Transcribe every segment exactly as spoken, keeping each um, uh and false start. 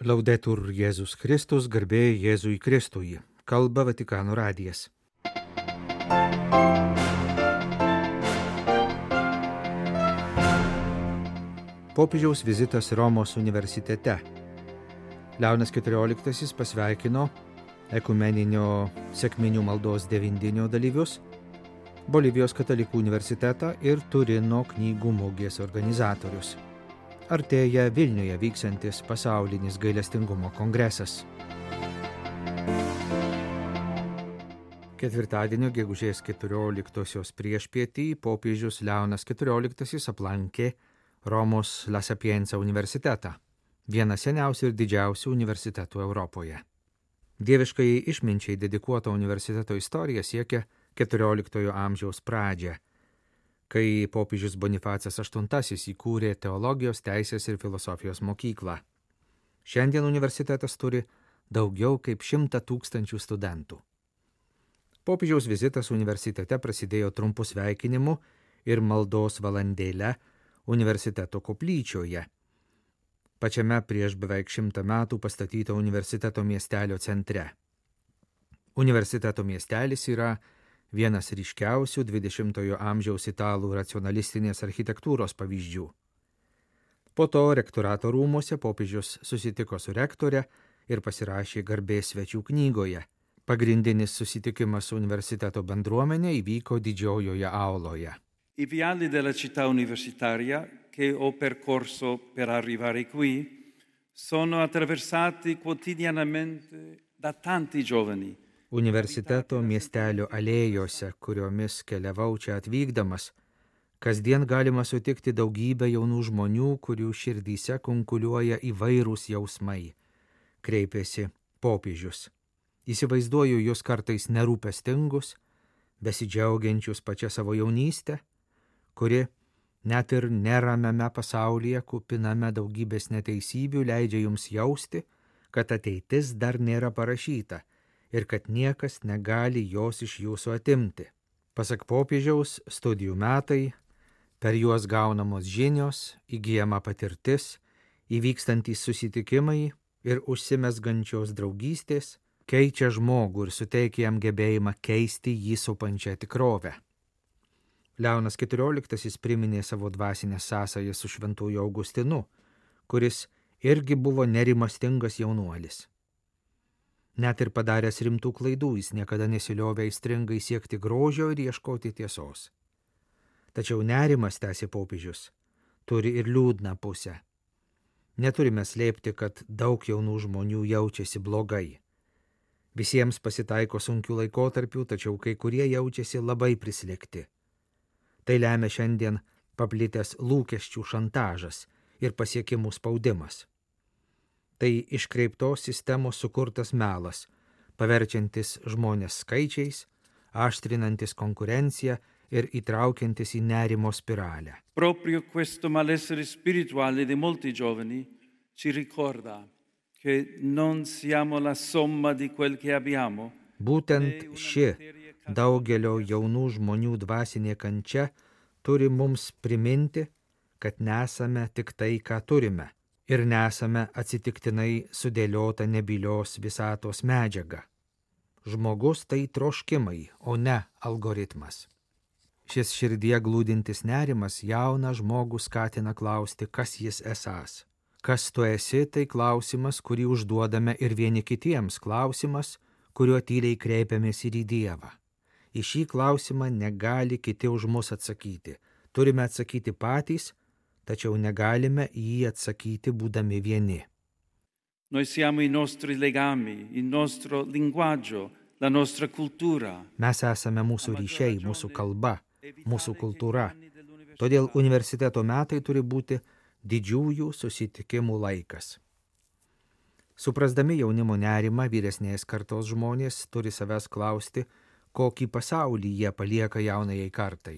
Laudetur Jėzus Kristus, garbė Jėzui Kristui. Kalba Vatikano radijas. Popiežiaus vizitas Romos universitete. Leonas keturioliktasis pasveikino ekumeninio sekminių maldos devindienio dalyvius, Bolivijos katalikų universitetą ir Turino knygų mugės organizatorius. Artėja Vilniuje vyksiantis pasaulinis gailestingumo kongresas. Ketvirtadienio gegužės keturioliktosios priešpietį popiežius Leonas keturioliktasis aplankė Romos La Sapienza universitetą, vieną seniausių ir didžiausių universitetų Europoje. Dieviškai išminčiai dedikuota universiteto istorija siekia keturioliktojo amžiaus pradžią, kai popiežius Bonifacas aštuntasis įkūrė teologijos, teisės ir filosofijos mokyklą. Šiandien universitetas turi daugiau kaip šimtą tūkstančių studentų. Popiežiaus vizitas universitete prasidėjo trumpu sveikinimu ir maldos valandėle universiteto koplyčioje, pačiame prieš beveik šimtą metų pastatyto universiteto miestelio centre. Universiteto miestelis yra vienas ryškiausių dvidešimtojo amžiaus italų racionalistinės architektūros pavyzdžių. Po to rektorato rūmuose popiežius susitiko su rektore ir pasirašė garbės svečių knygoje. Pagrindinis susitikimas su universiteto bendruomenė įvyko didžiojoje auloje. I viali della città universitaria che ho percorso per arrivare qui sono attraversati quotidianamente da tanti giovani. Universiteto miestelio alėjose, kuriomis keliavau čia atvykdamas, kasdien galima sutikti daugybę jaunų žmonių, kurių širdyse kunkuliuoja įvairūs jausmai, kreipėsi popiežius. Įsivaizduoju jūs kartais nerūpestingus, besidžiaugiančius pačią savo jaunystę, kuri net ir neramiame pasaulyje, kupiname daugybės neteisybių, leidžia jums jausti, kad ateitis dar nėra parašyta ir kad niekas negali jos iš jūsų atimti. Pasak popiežiaus, studijų metai, per juos gaunamos žinios, įgyjama patirtis, įvykstantys susitikimai ir užsimezgančios draugystės keičia žmogų ir suteikia jam gebėjimą keisti jį supančią tikrovę. Leonas keturioliktasis priminė savo dvasinę sąsają su šventuoju Augustinu, kuris irgi buvo nerimastingas jaunuolis. Net ir padaręs rimtų klaidų, jis niekada nesiliovė aistringai siekti grožio ir ieškoti tiesos. Tačiau nerimas, tęsė popiežius, turi ir liūdną pusę. Neturime slėpti, kad daug jaunų žmonių jaučiasi blogai. Visiems pasitaiko sunkių laikotarpių, tačiau kai kurie jaučiasi labai prislėgti. Tai lemia šiandien paplitęs lūkesčių šantažas ir pasiekimų spaudimas. Tai iškreiptos sistemos sukurtas melas, paverčiantis žmonės skaičiais, aštrinantis konkurenciją ir įtraukiantis į nerimo spiralę. Proprio questo malessere spirituale di molti giovani ci ricorda che non siamo la somma di quel che abbiamo. Būtent ši daugelio jaunų žmonių dvasinė kančia turi mums priminti, kad nesame tik tai, ką turime. Ir nesame atsitiktinai sudėliota nebylios visatos medžiaga. Žmogus tai troškimai, o ne algoritmas. Šis širdie glūdintis nerimas jauną žmogų skatina klausti, kas jis esąs. Kas tu esi, tai klausimas, kurį užduodame ir vieni kitiems, klausimas, kuriuo tyliai kreipiamės ir į Dievą. Į šį klausimą negali kiti už mus atsakyti. Turime atsakyti patys, tačiau negalime į jį atsakyti būdami vieni. Noi siamo i nostri legami, il nostro linguaggio, la nostra cultura. Mes esame mūsų ryšiai, mūsų kalba, mūsų kultūra. Todėl universiteto metai turi būti didžiųjų susitikimų laikas. Suprasdami jaunimo nerimą, vyresnės kartos žmonės turi savęs klausti, kokį pasaulį jie palieka jaunajai kartai.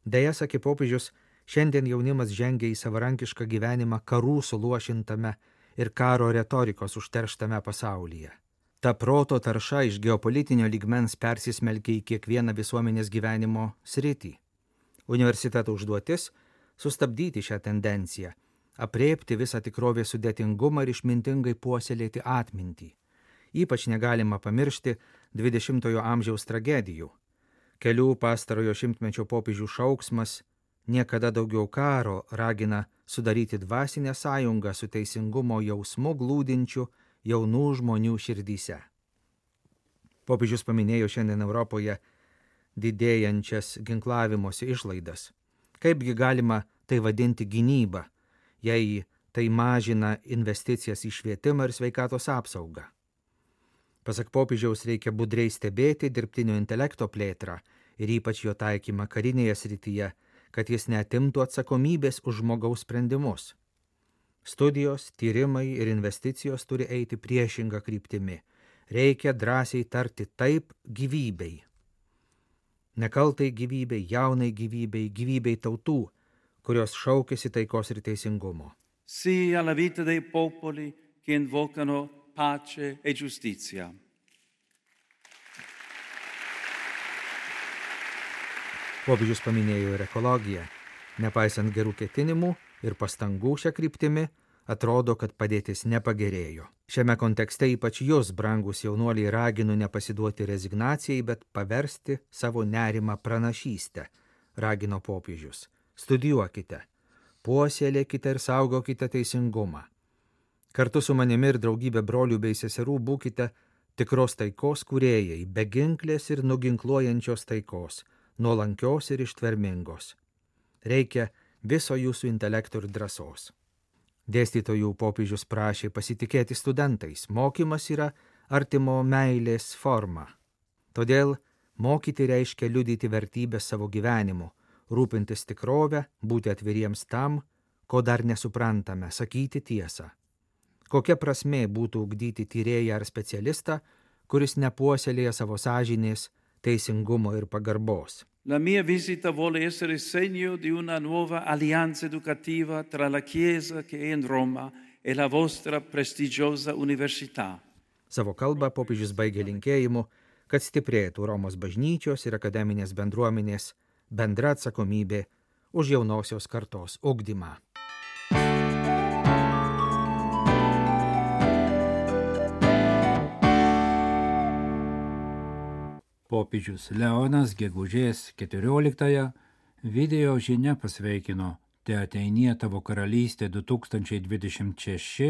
Deja, sakė popiežius, šiandien jaunimas žengia į savarankišką gyvenimą karų suluošintame ir karo retorikos užterštame pasaulyje. Ta proto tarša iš geopolitinio lygmens persismelkia į kiekvieną visuomenės gyvenimo sritį. Universiteto užduotis – sustabdyti šią tendenciją apreipti visą tikrovės sudėtingumą ir išmintingai puoselėti atmintį. Ypač negalima pamiršti dvidešimtojo amžiaus tragedijų. Kelių pastarojo šimtmečio popiežių šauksmas niekada daugiau karo ragina sudaryti dvasinę sąjungą su teisingumo jausmu glūdinčiu jaunų žmonių širdyse. Popiežius paminėjo šiandien Europoje didėjančias ginklavimosi išlaidas. Kaipgi galima tai vadinti gynyba, jei tai mažina investicijas į švietimą ir sveikatos apsaugą? Pasak popiežiaus, reikia budriai stebėti dirbtinio intelekto plėtrą ir ypač jo taikymą karinėje srityje, kad jis neatimtų atsakomybės už žmogaus sprendimus. Studijos, tyrimai ir investicijos turi eiti priešinga kryptimi. Reikia drąsiai tarti taip gyvybei. Nekaltai gyvybei, jaunai gyvybei, gyvybei tautų, kurios šaukėsi taikos ir teisingumo. Sì alla vita dei popoli che invocano pace e giustizia. Popiežius paminėjo ir ekologiją. Nepaisant gerų ketinimų ir pastangų šią kryptimį, atrodo, kad padėtis nepagerėjo. Šiame kontekste ypač jūs, brangus jaunuoliai, raginu nepasiduoti rezignacijai, bet paversti savo nerimą pranašystę, ragino popiežius. Studijuokite, puoselėkite ir saugokite teisingumą. Kartu su manimi ir daugybė brolių bei seserų būkite tikros taikos kūrėjai, beginklės ir nuginkluojančios taikos, nuolankios ir ištvermingos. Reikia viso jūsų intelekto ir drąsos. Dėstytojų popiežius prašė pasitikėti studentais. Mokymas yra artimo meilės forma. Todėl mokyti reiškia liudyti vertybės savo gyvenimu, rūpintis tikrovę, būti atviriems tam, ko dar nesuprantame, sakyti tiesą. Kokia prasmė būtų ugdyti tyrėją ar specialistą, kuris nepuoselėja savo sąžinės, teisingumo ir pagarbos? La mia visita vuole essere segno di una nuova alleanza educativa tra la Chiesa che è in Roma e la vostra prestigiosa università. Savo kalbą popiežius baigė linkėjimu, kad stiprėtų Romos bažnyčios ir akademinės bendruomenės bendra atsakomybė už jaunosios kartos ugdymą. Popiežius Leonas gegužės keturioliktąją video žinia pasveikino Te ateinie tavo karalystė du tūkstančiai dvidešimt šeši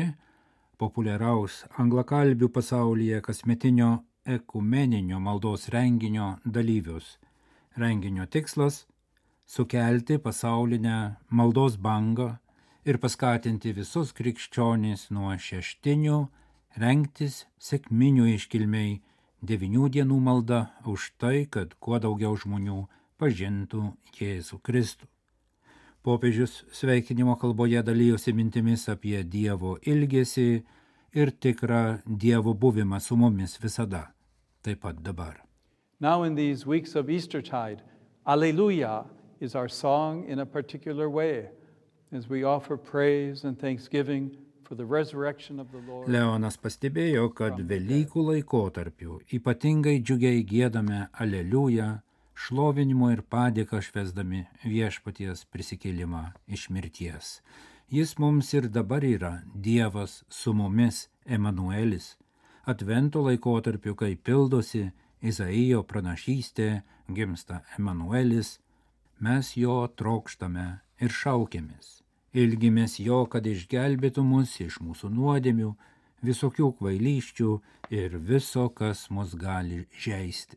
populiaraus anglakalbių pasaulyje kasmetinio ekumeninio maldos renginio dalyvius. Renginio tikslas – sukelti pasaulinę maldos bangą ir paskatinti visus krikščionis nuo šeštinių rengtis sekminių iškilmei devynių dienų malda už tai, kad kuo daugiau žmonių pažintų Jėzų Kristų. Popiežius sveikinimo kalboje dalyjosi mintimis apie Dievo ilgesį ir tikrą Dievo buvimą su mumis visada, taip pat dabar. Now in these weeks of Eastertide, Alleluia is our song in a particular way, as we offer praise and thanksgiving for the resurrection of the Lord. Leonas pastebėjo, kad Velykų laikotarpiu ypatingai džiugiai giedame Aleliuja, šlovinimo ir padėką švęsdami viešpaties prisikėlimą iš mirties. Jis mums ir dabar yra Dievas su mumis, Emanuelis. Advento laikotarpiu, kai pildosi Izaijo pranašystė, gimsta Emanuelis, mes jo trokštame ir šaukėmės. Ilgimės jo, kad išgelbėtų mus iš mūsų nuodėmių, visokių kvailysčių ir viso, kas mus gali žeisti.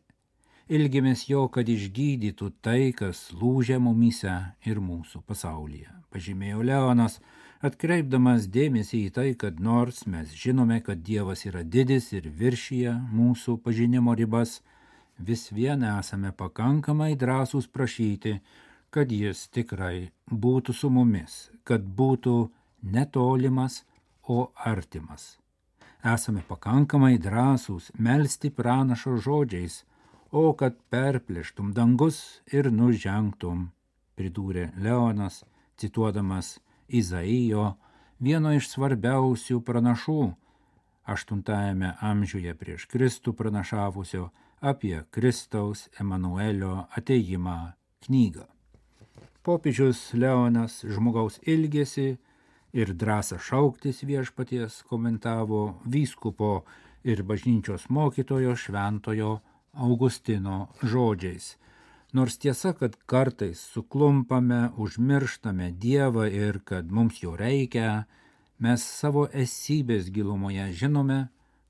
Ilgimės jo, kad išgydytų tai, kas lūžia mumyse ir mūsų pasaulyje. Pažymėjo Leonas, atkreipdamas dėmesį į tai, kad nors mes žinome, kad Dievas yra didis ir viršyje mūsų pažinimo ribas, vis vien esame pakankamai drąsūs prašyti, kad jis tikrai būtų su mumis, kad būtų netolimas, o artimas. Esame pakankamai drąsūs melsti pranašo žodžiais, o kad perplėštum dangus ir nužengtum, pridūrė Leonas, cituodamas Izaijo, vieno iš svarbiausių pranašų, aštuntajame amžiuje prieš Kristų pranašavusio apie Kristaus Emanuelio atėjimą knygą. Popiežius Leonas žmogaus ilgesį ir drąsą šauktis viešpaties komentavo vyskupo ir bažnyčios mokytojo šventojo Augustino žodžiais. Nors tiesa, kad kartais suklumpame, užmirštame Dievą ir kad mums jo reikia, mes savo esybės gilumoje žinome,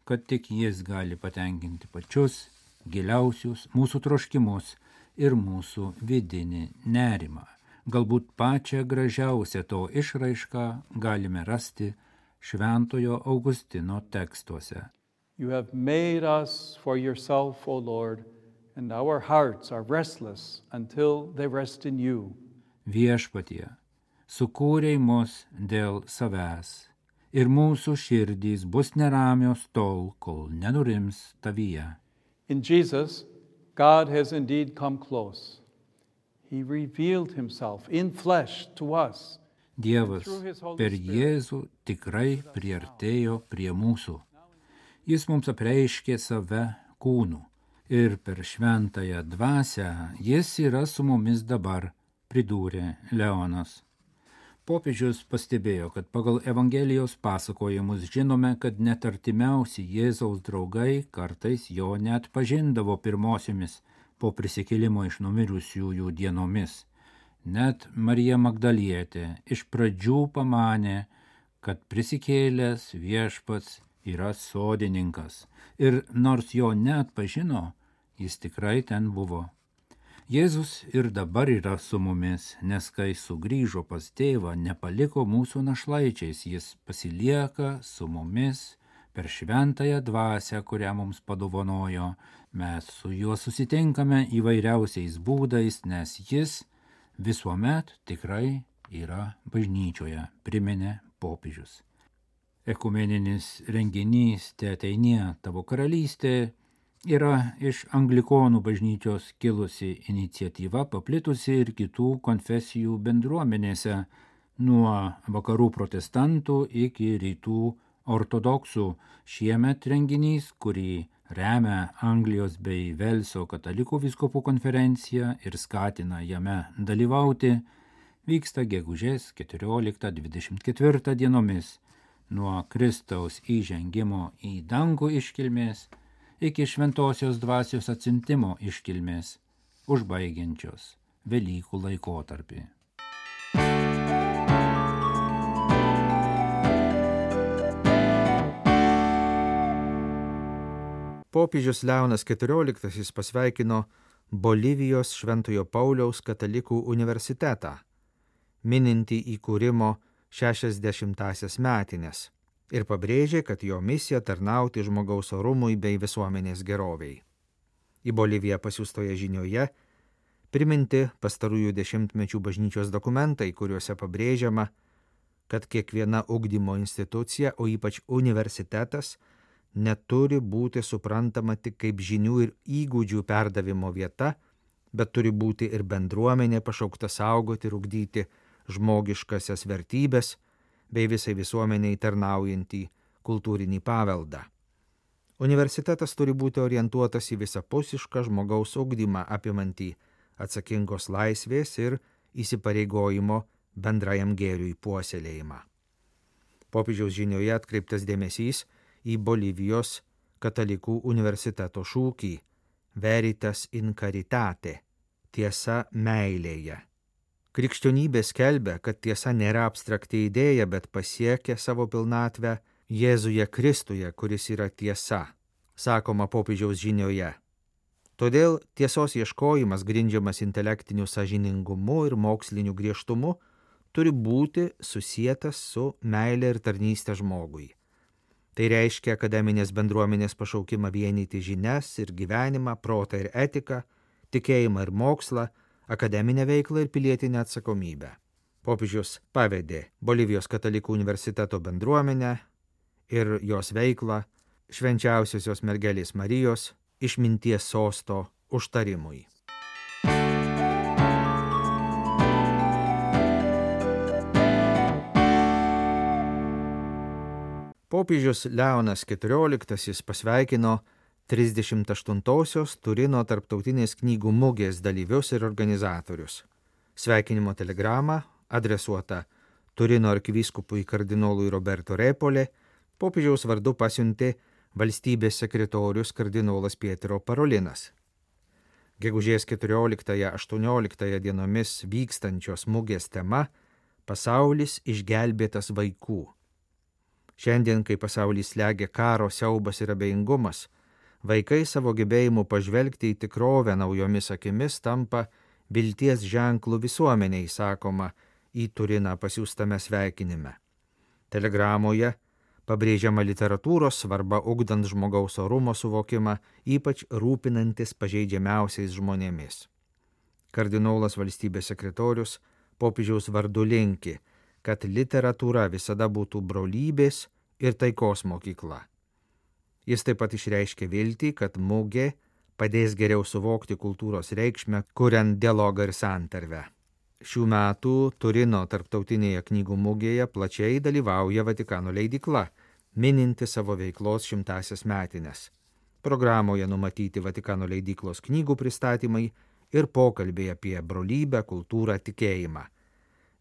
kad tik jis gali patenkinti pačius giliausius mūsų troškimus ir mūsų vidinį nerimą. Galbūt pačią gražiausią to išraišką galime rasti šventojo Augustino tekstuose. You have made us for yourself, O Lord, and our hearts are restless until they rest in you. Viešpatie, sukūrei mus dėl savęs, ir mūsų širdys bus neramios tol, kol nenurims tavyje. In Jesus, God has indeed come close. He revealed himself in flesh to us. Dievas per Jėzų tikrai priartėjo prie mūsų. Jis mums apreiškė save kūnu ir per šventąją dvasią jis yra su mumis dabar, pridūrė Leonas. Popiežius pastebėjo, kad pagal Evangelijos pasakojimus žinome, kad net artimiausi Jėzaus draugai kartais jo net pažindavo pirmosiomis po prisikėlimo iš numirusiųjų dienomis. Net Marija Magdalietė iš pradžių pamanė, kad prisikėlęs viešpats yra sodininkas ir nors jo neatpažino, jis tikrai ten buvo. Jėzus ir dabar yra su mumis, nes kai sugrįžo pas tėvą, nepaliko mūsų našlaičiais, jis pasilieka su mumis per šventąją dvasią, kurią mums padovanojo. Mes su juo susitinkame įvairiausiais būdais, nes jis visuomet tikrai yra bažnyčioje, priminė popiežius. Ekumeninis renginys Te ateinie tavo karalystė yra iš anglikonų bažnyčios kilusi iniciatyva, paplitusi ir kitų konfesijų bendruomenėse, nuo vakarų protestantų iki rytų ortodoksų. Šiemet renginys, kurį remia Anglijos bei Velso katalikų vyskupų konferencija ir skatina jame dalyvauti, vyksta gegužės keturioliktą dvidešimt ketvirtą dienomis, nuo Kristaus įžengimo į dangų iškilmės iki šventosios dvasios atsiuntimo iškilmės, užbaigiančios Velykų laikotarpį. Popiežius Leonas keturioliktasis pasveikino Bolivijos Šventojo Pauliaus katalikų universitetą, minintį įkūrimo šešiasdešimtąsias metines, ir pabrėžė, kad jo misija tarnauti žmogaus orumui bei visuomenės geroviai. Į Boliviją pasiųstoje žinioje priminti pastarųjų dešimtmečių bažnyčios dokumentai, kuriuose pabrėžiama, kad kiekviena ugdymo institucija, o ypač universitetas, neturi būti suprantama tik kaip žinių ir įgūdžių perdavimo vieta, bet turi būti ir bendruomenė pašaukta saugoti ir ugdyti žmogiškasias vertybės bei visai visuomeniai tarnaujantį kultūrinį paveldą. Universitetas turi būti orientuotas į visapusišką žmogaus ugdymą apimantį atsakingos laisvės ir įsipareigojimo bendrajam gėriui puoselėjimą. Popiežiaus žinioje atkreiptas dėmesys į Bolivijos katalikų universiteto šūkį Veritas in caritate, tiesa meilėje. Krikščionybė skelbia, kad tiesa nėra abstrakti idėja, bet pasiekia savo pilnatvę Jėzuje Kristuje, kuris yra tiesa, sakoma popiežiaus žinioje. Todėl tiesos ieškojimas, grindžiamas intelektiniu sąžiningumu ir moksliniu griežtumu, turi būti susietas su meilė ir tarnystė žmogui. Tai reiškia akademinės bendruomenės pašaukimą vienyti žinias ir gyvenimą, protą ir etiką, tikėjimą ir mokslą, akademinę veiklą ir pilietinę atsakomybę. Popiežius pavedė Bolivijos katalikų universiteto bendruomenę ir jos veiklą švenčiausiosios mergelės Marijos išminties sosto užtarimui. Popiežius Leonas keturioliktasis pasveikino trisdešimt aštuntosios Turino tarptautinės knygų mugės dalyvius ir organizatorius. Sveikinimo telegramą adresuota Turino arkivyskupui kardinolui Roberto Repole popiežiaus vardu pasiuntė valstybės sekretorius kardinolas Pietro Parolinas. Gegužės keturioliktąją aštuonioliktąją dienomis vykstančios mugės tema – pasaulis išgelbėtas vaikų. Šiandien, kai pasaulis slegia karo siaubas ir abejingumas, vaikai savo gebėjimu pažvelgti į tikrovę naujomis akimis tampa vilties ženklų visuomeniai, sakoma į Turiną pasiųstame sveikinime. Telegramoje pabrėžiama literatūros svarba ugdant žmogaus orumo suvokimą, ypač rūpinantis pažeidžiamiausiais žmonėmis. Kardinolas valstybės sekretorius popiežiaus vardu linki, kad literatūra visada būtų brolybės ir taikos mokykla. Jis taip pat išreiškė viltį, kad mugė padės geriau suvokti kultūros reikšmę, kuriant dialogą ir santarvę. Šių metų Turino tarptautinėje knygų mugėje plačiai dalyvauja Vatikano leidykla, mininti savo veiklos šimtąsias metines. Programoje numatyti Vatikano leidyklos knygų pristatymai ir pokalbiai apie brolybę, kultūrą, tikėjimą.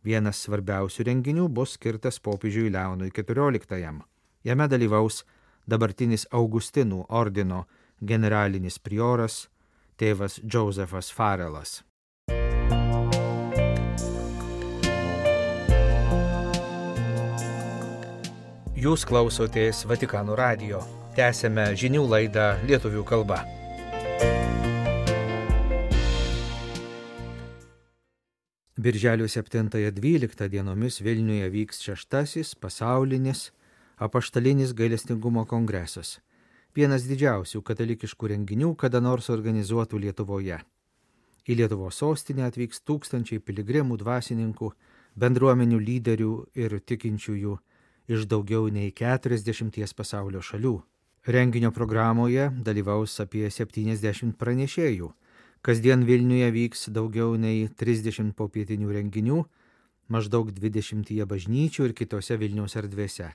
Vienas svarbiausių renginių bus skirtas popiežiui Leonui keturioliktajam. Jame dalyvaus dabartinis Augustinų ordino generalinis prioras tėvas Josefas Farelas. Jūs klausotės Vatikano radijo. Tęsiame žinių laidą lietuvių kalba. Birželio septintąją dvyliktą dienomis Vilniuje vyks šeštasis pasaulinis apaštalinis gailestingumo kongresas. Vienas didžiausių katalikiškų renginių kada nors organizuotų Lietuvoje. Į Lietuvos sostinę atvyks tūkstančiai piligrimų, dvasininkų, bendruomenių lyderių ir tikinčiųjų iš daugiau nei keturiasdešimties pasaulio šalių. Renginio programoje dalyvaus apie septyniasdešimt pranešėjų. Kasdien Vilniuje vyks daugiau nei trisdešimt popietinių renginių, maždaug dvidešimtyje bažnyčių ir kitose Vilniaus erdvėse.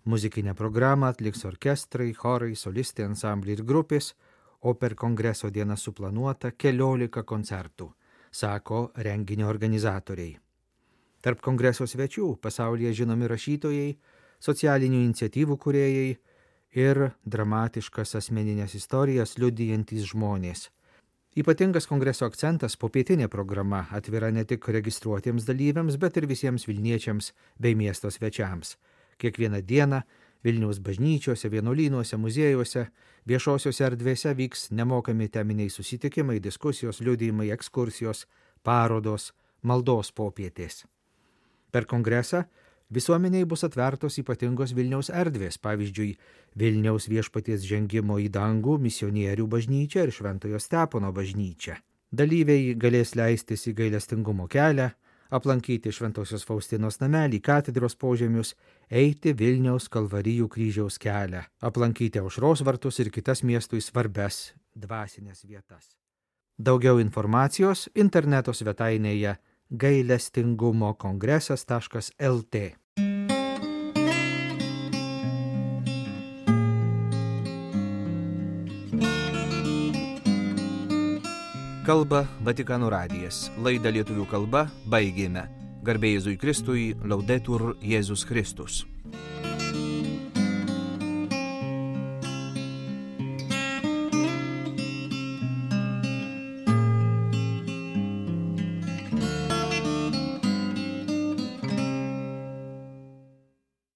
Muzikinę programą atliks orkestrai, chorai, solistai, ansambliai ir grupės, o per kongreso dieną suplanuota keliolika koncertų, sako renginio organizatoriai. Tarp kongreso svečių pasaulyje žinomi rašytojai, socialinių iniciatyvų kūrėjai ir dramatiškas asmeninės istorijas liudijantys žmonės. Ypatingas kongreso akcentas popietinė programa atvira ne tik registruotiems dalyviams, bet ir visiems vilniečiams bei miesto svečiams. Kiekvieną dieną Vilniaus bažnyčiose, vienuolynuose, muziejuose, viešosiuose erdvėse vyks nemokami teminiai susitikimai, diskusijos, liudijimai, ekskursijos, parodos, maldos popietės. Per kongresą visuomeniai bus atvertos ypatingos Vilniaus erdvės, pavyzdžiui, Vilniaus viešpaties žengimo į dangų misionierių bažnyčia ir Šventojo Stepono bažnyčia. Dalyviai galės leistis į gailestingumo kelią, aplankyti Šventosios Faustinos namelį, katedros požemius, eiti Vilniaus Kalvarijų kryžiaus kelią, aplankyti Aušros vartus ir kitas miestui svarbias dvasinės vietas. Daugiau informacijos interneto svetainėje gailestingumo kongresas taškas el tė. Kalba Vatikano radijas. Laidą lietuvių kalba baigėme. Garbė Jėzui Kristui, Laudetur Jėzus Kristus.